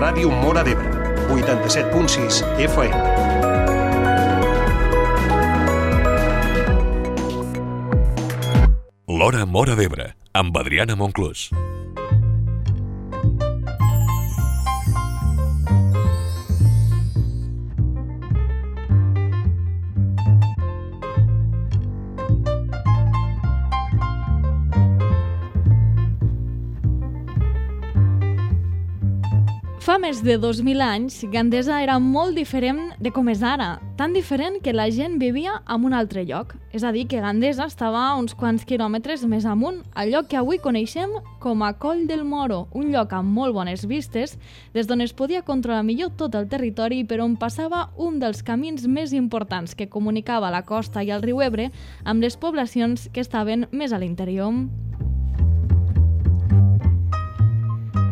Ràdio Móra d'Ebre, 87.6 FM. L'Hora Móra d'Ebre, amb Adriana Monclús. Fa més de 2.000 anys, Gandesa era molt diferent de com és ara, tan diferent que la gent vivia en un altre lloc. És a dir, que Gandesa estava a uns quants quilòmetres més amunt, al lloc que avui coneixem com a Coll del Moro, un lloc amb molt bones vistes, des d'on es podia controlar millor tot el territori i per on passava un dels camins més importants que comunicava la costa i el riu Ebre amb les poblacions que estaven més a l'interior.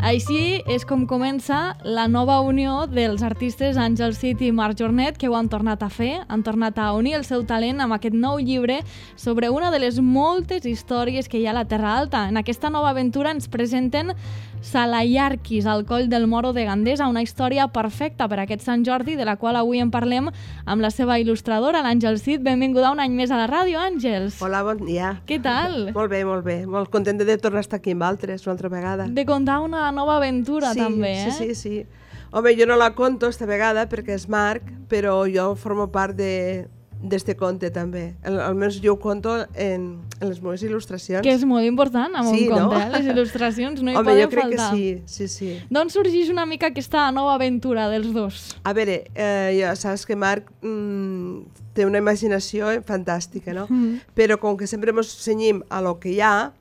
Així és com comença la nova unió dels artistes Àngel Cid i Marc Jornet, que ho han tornat a fer, han tornat a unir el seu talent amb aquest nou llibre sobre una de les moltes històries que hi ha a la Terra Alta. En aquesta nova aventura ens presenten Salayarquis, al Coll del Moro de Gandesa, una història perfecta per a aquest Sant Jordi, de la qual avui en parlem amb la seva il·lustradora, l'Àngel Cid. Benvinguda un any més a la ràdio, Àngels. Hola, bon dia. Què tal? Molt bé, molt bé. Molt contenta de tornar a estar aquí amb altres una altra vegada. De contar una nova aventura, sí, també, eh? Sí. Home, jo no la conto esta vegada perquè és Marc, però jo formo part d'este conte també. Almenys jo ho conto en les meves il·lustracions. Que és molt important amb un conte, no? Les il·lustracions no hi Home, poden jo crec faltar. que sí. D'on sorgeix una mica aquesta nova aventura dels dos? A veure, ja saps que Marc té una imaginació fantàstica, no? Però com que sempre ens cenyim a lo que hi ha,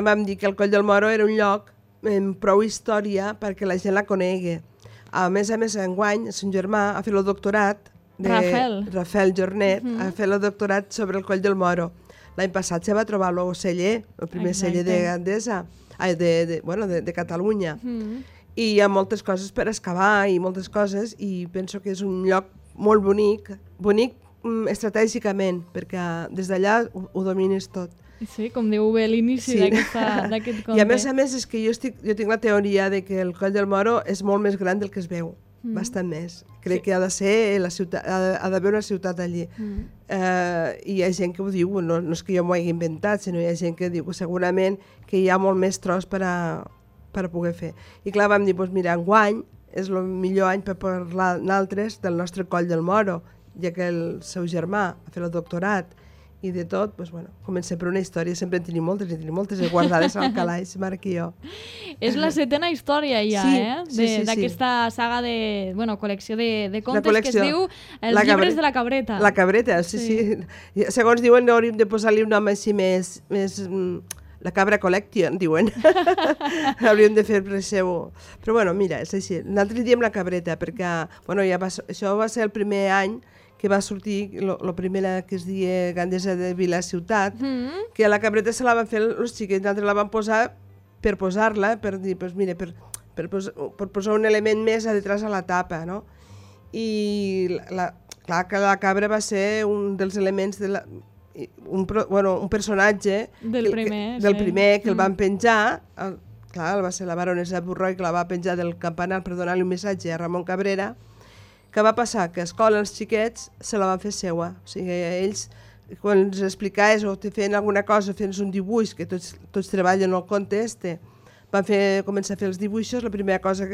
vam dir que el Coll del Moro era un lloc amb prou història perquè la gent la conegui. A més, enguany, son germà ha fet el doctorat Rafael Jornet, ha fet el doctorat sobre el Coll del Moro. L'any passat se va trobar el celler, el primer celler de Gandesa, de Catalunya. I hi ha moltes coses per excavar i moltes coses, i penso que és un lloc molt bonic estratègicament, perquè des d'allà ho domines tot. Sí, com diu bé l'inici d'aquest conte. I a més és que jo tinc la teoria de que el Coll del Moro és molt més gran del que es veu, bastant més. Crec que ha de ser la ciutat, ha d'haver una ciutat allí. I hi ha gent que ho diu, no és que jo m'ho hagi inventat, sinó hi ha gent que diu segurament que hi ha molt més tros per a poder fer. I clar, vam dir, doncs mira, enguany és el millor any per parlar nosaltres del nostre Coll del Moro, ja que el seu germà ha fet el doctorat i de tot, doncs, bueno, comencem per una història, sempre en tenim moltes guardades al calaix, Marc i jo. És la 7a història ja, d'aquesta saga de, col·lecció de contes que es diu Els llibres de la cabreta. La cabreta, sí. Segons diuen, hauríem de posar-li un nom així més la Cabra Collection, diuen. Hauríem de fer per seu. Però bueno, mira, és així. Nosaltres diem la cabreta perquè, això va ser el primer any que va sortir, la primera que es deia Gandesa de Vila-Ciutat, que a la cabreta se la van fer els xiquets, nosaltres la vam posar per posar-la, per dir, doncs mira, per posar un element més a detrás a la tapa, no? I clar que la cabra va ser un dels elements un personatge del primer que el van penjar, clar, va ser la baronessa Burroi que la va penjar del campanar per donar-li un missatge a Ramon Cabrera. Què va passar? Que a escola els xiquets se la van fer seua. O sigui, ells, quan els explicaves o te feien alguna cosa, feien un dibuix, que tots treballen el conte van començar a fer els dibuixos, la primera cosa,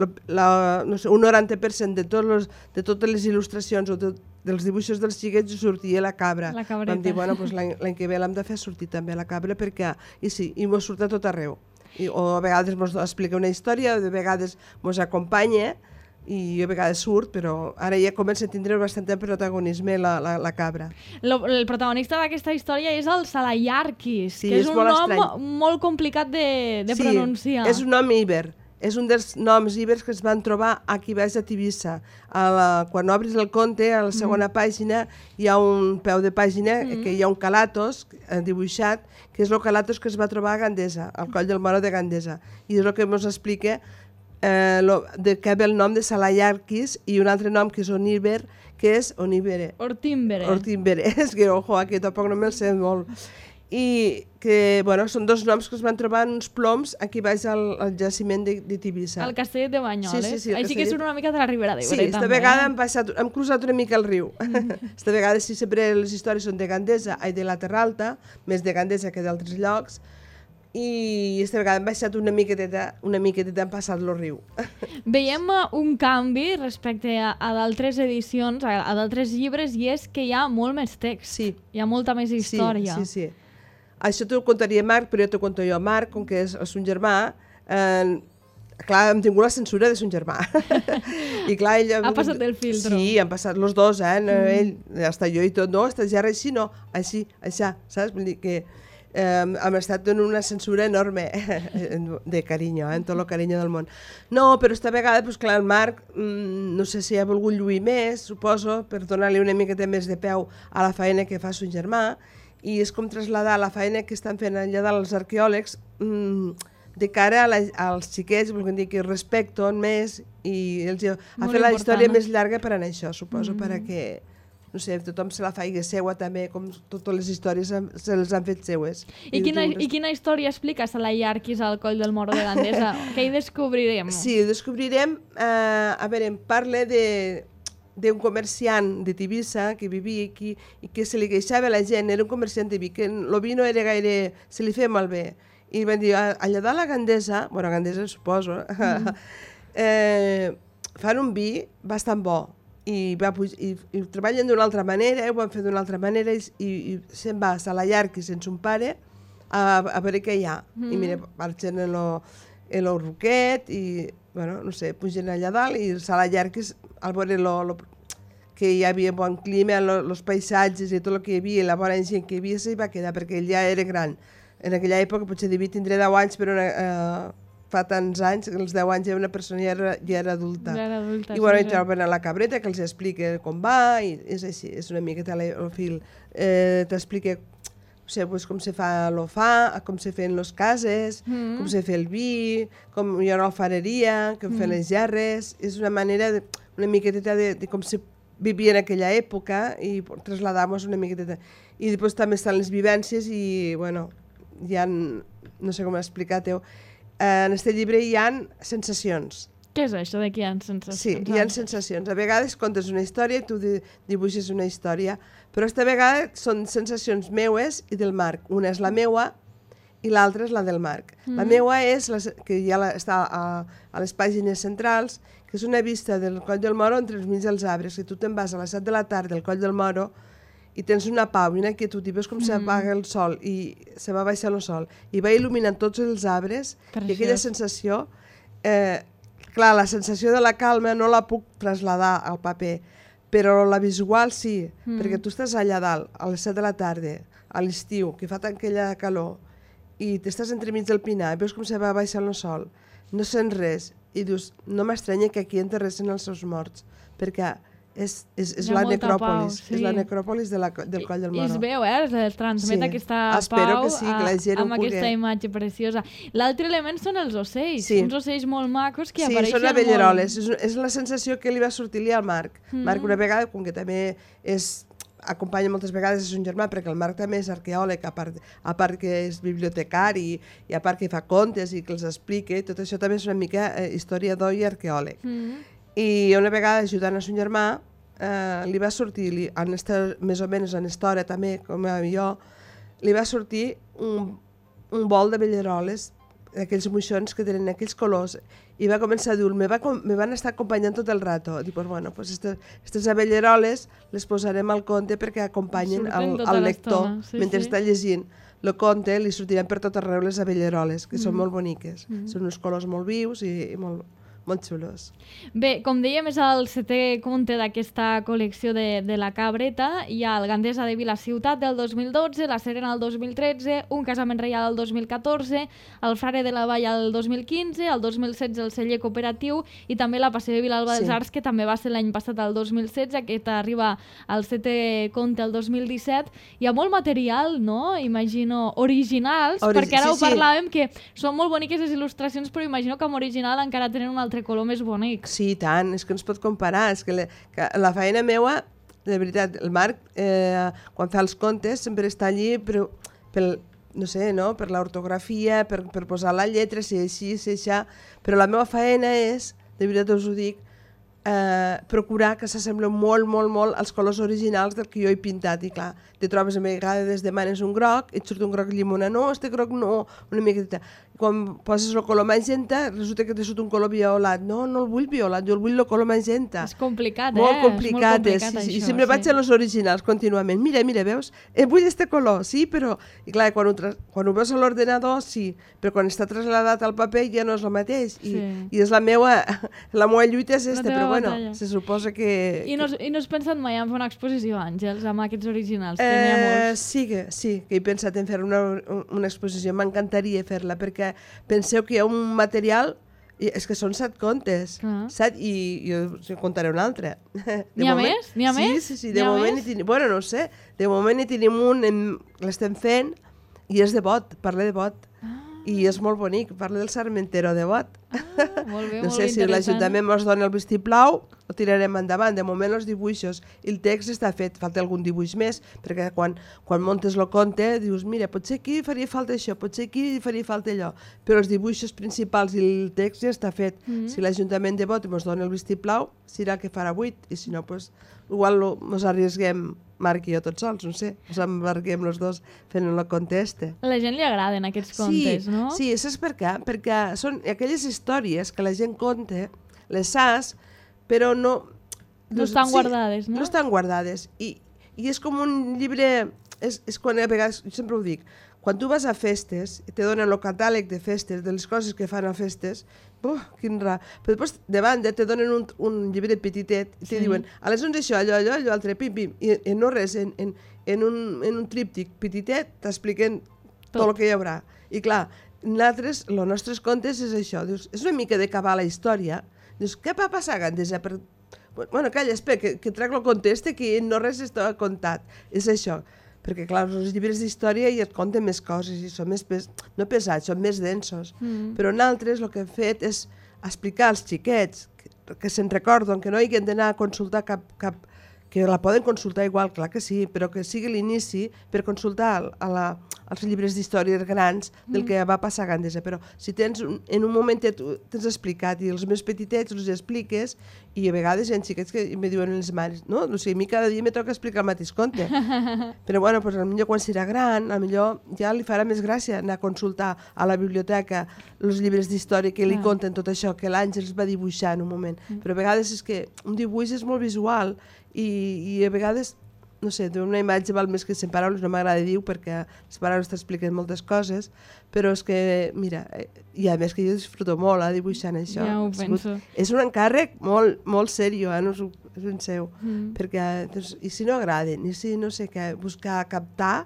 un 90% de totes les il·lustracions o dels dibuixos dels xiquets sortia la cabra. La cabreta. Vam dir, doncs l'any que ve l'hem de fer sortir també la cabra, perquè, i mos surt a tot arreu. O a vegades mos explica una història, de vegades mos acompanya, i a vegades surt, però ara ja comença a tindre bastant protagonisme la cabra. El protagonista d'aquesta història és el Salayarquis, que és un nom molt complicat de pronunciar. Sí, és un nom íber. És un dels noms íbers que es van trobar aquí baix a Tivissa. Quan obris el conte, a la segona pàgina, hi ha un peu de pàgina que hi ha un calatos dibuixat, que és el calatos que es va trobar a Gandesa, al Coll del Moro de Gandesa. I és el que ens explica de què ve el nom de Salayarquis i un altre nom que és Oníber, que és Ortímbere. És que, ojo, aquí tampoc no me'l sé molt. i que, bueno, són dos noms que es van trobar en uns ploms aquí baix al jaciment de Tivissa. El castell de Banyoles. Sí, Així que surt una mica de la Ribera d'Ebre, també. Sí, esta vegada hem cruzat una mica el riu. Esta vegada sí, sempre les històries són de Gandesa i de la Terra Alta, més de Gandesa que d'altres llocs, i esta vegada hem baixat una miqueteta, hem passat el riu. Veiem un canvi respecte a d'altres edicions, a d'altres llibres, i és que hi ha molt més text. Sí. Hi ha molta més història. Sí. Això t'ho contaria Marc, però jo t'ho conto jo. Marc, com que és un germà, clar, hem tingut la censura de son germà. I clar, ell... Ha passat el filtro. Sí, han passat els dos, ell, hasta jo i tot, no, esta ja així, no, així, saps? Vull dir que hem estat en una censura enorme de carinyo, en tot el carinyo del món. No, però esta vegada, doncs clar, el Marc, no sé si ha volgut lluir més, suposo, per donar-li una miqueta més de peu a la feina que fa son germà, i és com traslladar la feina que estan fent allà dels arqueòlegs de cara als xiquets, volguem dir que respecten més i els ha fet la història més llarga per anar això, suposo, perquè, no sé, tothom se la faci seua també, com totes les històries se les han fet seues. I quina història explica a la Iarquis al Coll del Moro de Gandesa? Què hi descobrirem? Sí, descobrirem, a veure, parla d'un comerciant de Tivissa que vivia aquí i que se li queixava a la gent, era un comerciant de vi, que el vi no era gaire... se li feia malbé. I van dir, allà dalt a Gandesa, bueno, a Gandesa suposo, fan un vi bastant bo i treballen d'una altra manera, ho van fer d'una altra manera i se'n va a la Iarquis sense un pare a veure què hi ha. I mira, marxen en el Roquet i, bueno, no sé, pugen allà dalt i a la Iarquis al veure que hi havia bon clima, els paisatges i tot el que hi havia, la bona gent que hi havia, s'hi va quedar perquè ell ja era gran. En aquella època potser devia tindre 10 anys, però fa tants anys, als 10 anys ja una persona ja era adulta. I bueno, hi troben a la cabreta que els explica com va, i és així, és una mica el fil. T'explica com se fa l'ofà, com se feien les cases, com se fa el vi, com hi ha una alfareria, com fan les gerres. És una manera, una miqueteta de com se vivia en aquella època i traslladar-nos una miqueteta. I després també estan les vivències i, bueno, hi ha, no sé com explicar-ho, en aquest llibre hi ha sensacions. Què és això de que hi ha sensacions? Sí, hi ha sensacions. A vegades contes una història i tu dibuixes una història, però aquesta vegada són sensacions meues i del Marc. Una és la meua i l'altra és la del Marc. La meua és, que ja està a les pàgines centrals, que és una vista del Coll del Moro entre els mig dels arbres. Si tu te'n vas a les 7 de la tarda al Coll del Moro i tens una pau i una quietud i veus com s'apaga el sol i se va baixant el sol i va il·luminant tots els arbres i aquella sensació, clar, la sensació de la calma no la puc traslladar al paper, però la visual sí, perquè tu estàs allà dalt a les 7 de la tarda, a l'estiu, que fa tant aquella calor, i t'estàs entremig del pinar, veus com se va baixant el sol, no sents res, i dius, no m'estranya que aquí enterressin els seus morts, perquè és la necròpolis, és la necròpolis del Coll del Moro. I es veu, es transmet aquesta pau amb aquesta imatge preciosa. L'altre element són els ocells, uns ocells molt macos que apareixen molt. Sí, són abelleroles, és la sensació que li va sortir-li al Marc. Marc una vegada, com que també acompanya moltes vegades a son germà, perquè el Marc també és arqueòleg, a part que és bibliotecari i a part que fa contes i que els explica, tot això també és una mica historiador i arqueòleg. I una vegada, ajudant a son germà, li va sortir, més o menys en història també, com jo, li va sortir un vol d'abelleroles, aquells moixons que tenen aquells colors, i va començar a dir, me van estar acompanyant tot el rato. Dic, bueno, aquestes abelleroles les posarem al conte perquè acompanyen el lector mentre està llegint. El conte li sortiran per tot arreu les abelleroles, que són molt boniques. Són uns colors molt vius i molt xulos. Bé, com dèiem, és el 7è conte d'aquesta col·lecció de la Cabreta. Hi ha el Gandesa de Vilaciutat del 2012, la Serena del 2013, un casament reial el 2014, el Frare de la Vall el 2015, el 2016 el celler cooperatiu i també la Passió de Vilalba dels Arcs, que també va ser l'any passat, el 2016, aquest arriba al 7è conte el 2017. Hi ha molt material, no? Imagino, originals, perquè ara ho parlàvem, que són molt boniques les il·lustracions, però imagino que amb original encara tenen un altre color més bonic. Sí, i tant, és que no es pot comparar. És que la feina meua, de veritat, el Marc, quan fa els contes, sempre està allí, però no sé, no? Per l'ortografia, per posar la lletra, si així, si això, però la meva feina és, de veritat us ho dic, procurar que s'assemblen molt, molt, molt als colors originals del que jo he pintat. I clar, te trobes a vegades demanes un groc, et surt un groc llimona, no, este groc no, una miqueta. Quan poses el color magenta, resulta que te surt un color violat. No, no el vull violat, jo el vull el color magenta. És complicat, molt complicat, és sí, això, i sempre vaig a los originals contínuament. Mira, veus? Vull este color, sí, però... I clar, quan ho veus a l'ordenador, sí, però quan està trasladat al paper ja no és el mateix. I és la meva lluita és esta, però bueno, se suposa que... I no has pensat mai en fer una exposició, Àngels, amb aquests originals, que n'hi ha molts? Sí, que he pensat en fer una exposició, m'encantaria fer-la, perquè penseu que hi ha un material, és que són 7 contes, 7, i jo contaré un altre. N'hi ha més? N'hi ha més? Sí, de moment hi tenim, bueno, no sé, de moment hi tenim un, l'estem fent, i és de Bot, parla de Bot. I és molt bonic, parla del Sarmentero de Bot. Molt bé, no sé si l'Ajuntament ens dona el vistiplau, ho tirarem endavant. De moment els dibuixos i el text està fet, falta algun dibuix més, perquè quan montes el conte dius, mira, potser aquí faria falta això, potser aquí faria falta allò, però els dibuixos principals i el text ja està fet. Si l'Ajuntament de Bot ens dona el vistiplau, serà que farà 8, i si no, doncs, igual ens arriesguem, Marc i jo tots sols, no sé, ens embarquem els dos fent el conte este. A la gent li agraden aquests contes, no? Sí, saps per què? Perquè són aquelles històries que la gent conta, les saps, però no... No estan guardades, no? No estan guardades. I és com un llibre... És quan a vegades, jo sempre ho dic, quan tu vas a festes i te donen el catàleg de festes, de les coses que fan a festes, quin rar. Però després, de banda, te donen un llibre petitet i te diuen, a les 11 això, allò, altre, pim, pim, i no res, en un tríptic petitet t'expliquen tot el que hi haurà. I clar, nosaltres, els nostres contes és això, dius, és una mica d'acabar la història, dius, què va passar, Gandesa? Bueno, calla, espera, que trec el conteste, que no res està contat. És això. Perquè, clar, els llibres d'història ja et conten més coses i són més, no pesats, són més densos. Però nosaltres el que hem fet és explicar als xiquets que se'n recorden, que no hagin d'anar a consultar cap... que la poden consultar igual, clar que sí, però que sigui l'inici per consultar els llibres d'històries grans del que va passar a Gandesa. Però si tens, en un moment t'has explicat i els més petitets els expliques, i a vegades hi ha xiquets que me diuen les mares, no? O sigui, a mi cada dia me toca explicar el mateix conte. Però bueno, potser quan serà gran, potser ja li farà més gràcia anar a consultar a la biblioteca els llibres d'història que li conten tot això que l'Àngels va dibuixar en un moment. Però a vegades és que un dibuix és molt visual i a vegades, no sé, una imatge val més que 100 paraules, no m'agrada dir perquè les paraules t'expliquen moltes coses, però és que, mira, i a més que jo disfruto molt dibuixant això. Ja ho penso. És un encàrrec molt, molt seriós, no us ho penseu, perquè, doncs, i si no agraden, i si no sé què, buscar captar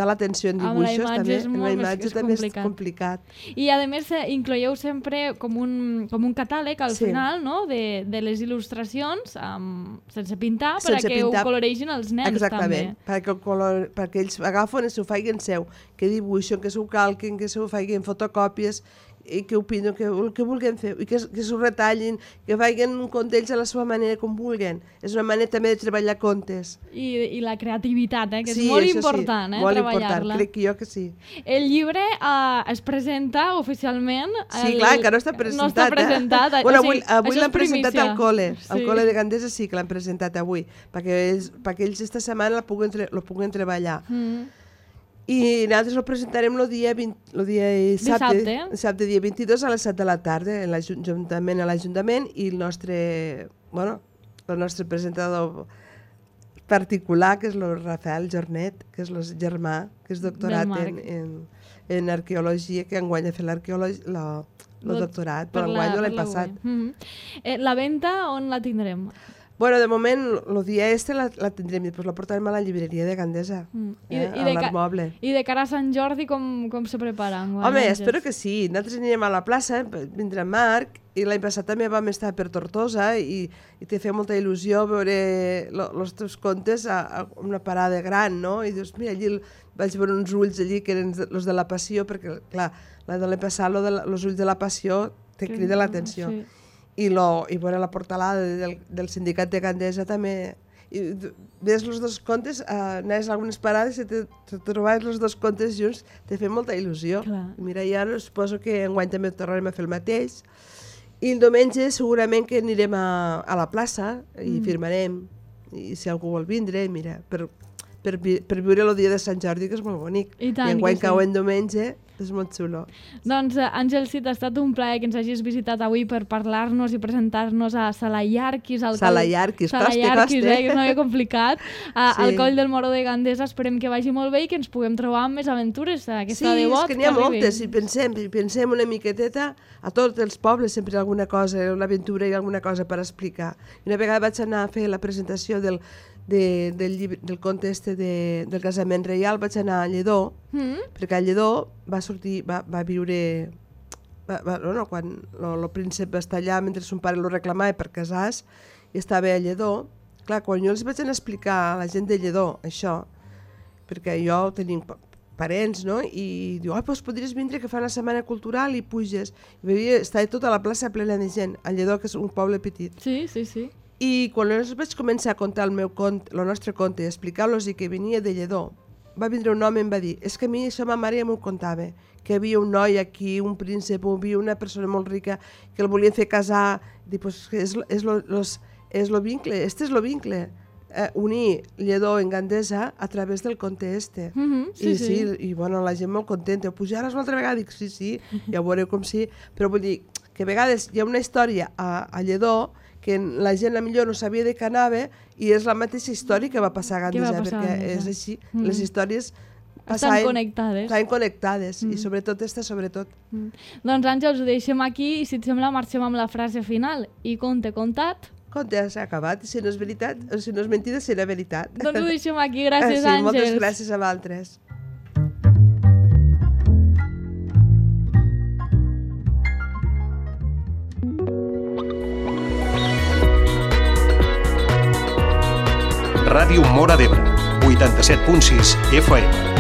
l'atenció en dibuixos també, en la imatge també és complicat. I a més incloieu sempre com un catàleg al final, no? de les il·lustracions sense pintar perquè ho coloregin els nens. Exactament, també. perquè ells agafen i s'ho facin seu, que dibuixen, que s'ho calquen, que s'ho facin fotocòpies i que opinen, el que vulguin fer, i que s'ho retallin, que facin un conte ells a la seva manera com vulguin. És una manera també de treballar contes. I la creativitat, que és molt important, molt treballar-la. Important, crec que jo que sí. El llibre es presenta oficialment... Sí, clar, que no està presentat. No està presentat. Bueno, avui l'han presentat al col·le. Al col·le de Gandesa sí que l'han presentat avui, perquè ells esta setmana lo puguen treballar. I nosaltres el presentarem el dia dissabte, dia 22 a les 7 de la tarda a l'Ajuntament i el nostre presentador particular, que és el Rafael Jornet, que és el germà, que és doctorat en arqueologia, que enguany ha fet el doctorat, però enguany l'any passat. La venda on la tindrem? Bueno, de moment, el dia la tindrem i després la portarem a la llibreria de Gandesa, a l'Art Moble. I de cara a Sant Jordi, com se prepara? Home, espero que sí. Nosaltres anirem a la plaça, vindrà Marc, i l'any passat també vam estar per Tortosa i te feia molta il·lusió veure els teus contes a una parada gran, no? I dius, mira, allí vaig veure uns ulls allí que eren els de la Passió, perquè, clar, de l'any passat, els ulls de la Passió te crida l'atenció. I veure la portalada del sindicat de Gandesa també. i ves els dos contes, anaves a algunes parades i te trobaves els dos contes junts, te feia molta il·lusió. Clar. Mira, i ara suposo que enguany també tornarem a fer el mateix. I el diumenge segurament que anirem a la plaça i firmarem. I si algú vol vindre, mira, per viure el dia de Sant Jordi, que és molt bonic. I tant, I enguany que sí. cau en diumenge, és molt xulo. Doncs, Àngel Cid, ha estat un plaer que ens hagis visitat avui per parlar-nos i presentar-nos a Salaiarquis. Salaiarquis, costa. Que és una mica complicat. Al Sí. Coll del Moró de Gandesa esperem que vagi molt bé i que ens puguem trobar amb més aventures. Aquesta de bot, és que n'hi ha arribi. moltes, i pensem una miqueteta, a tots els pobles sempre hi ha alguna cosa, una aventura i alguna cosa per explicar. I una vegada vaig anar a fer la presentació del conte del casament reial, vaig anar a Lledó, perquè a Lledó va viure... quan el príncep va estar allà mentre son pare lo reclamava per casar-se i estava a Lledó. Clar, quan jo els vaig anar a explicar a la gent de Lledó això, perquè jo tenia parents, no? I diu, doncs podries vindre que fa una setmana cultural i puges. I estava tota la plaça plena de gent, a Lledó, que és un poble petit. Sí, sí, sí. I quan els vaig començar a contar el nostre conte i explicar-los que venia de Lledó, va vindre un home i em va dir, és que a mi això ma mare ja m'ho contava, que hi havia un noi aquí, un príncep, hi havia una persona molt rica que el volien fer casar. Dic, pues és lo vincle, este és lo vincle. Unir Lledó en Gandesa a través del conte este. I bueno, la gent molt contenta. Pujaràs una altra vegada? Dic, sí, ja ho veureu com sí. Però vull dir que a vegades hi ha una història a Lledó que la gent a millor no sabia de què anava i és la mateixa història que va passar a Gandesa, perquè és així, les històries estan connectades. Estan connectades, i sobretot sobretot. Doncs Àngels, ho deixem aquí i si et sembla marxem amb la frase final. I conte contat. Conte s'ha acabat, i si no és veritat, o si no és mentida, serà veritat. Doncs ho deixem aquí, gràcies sí, Àngels. Moltes gràcies a vosaltres. Ràdio Móra d'Ebre, 87.6 FM.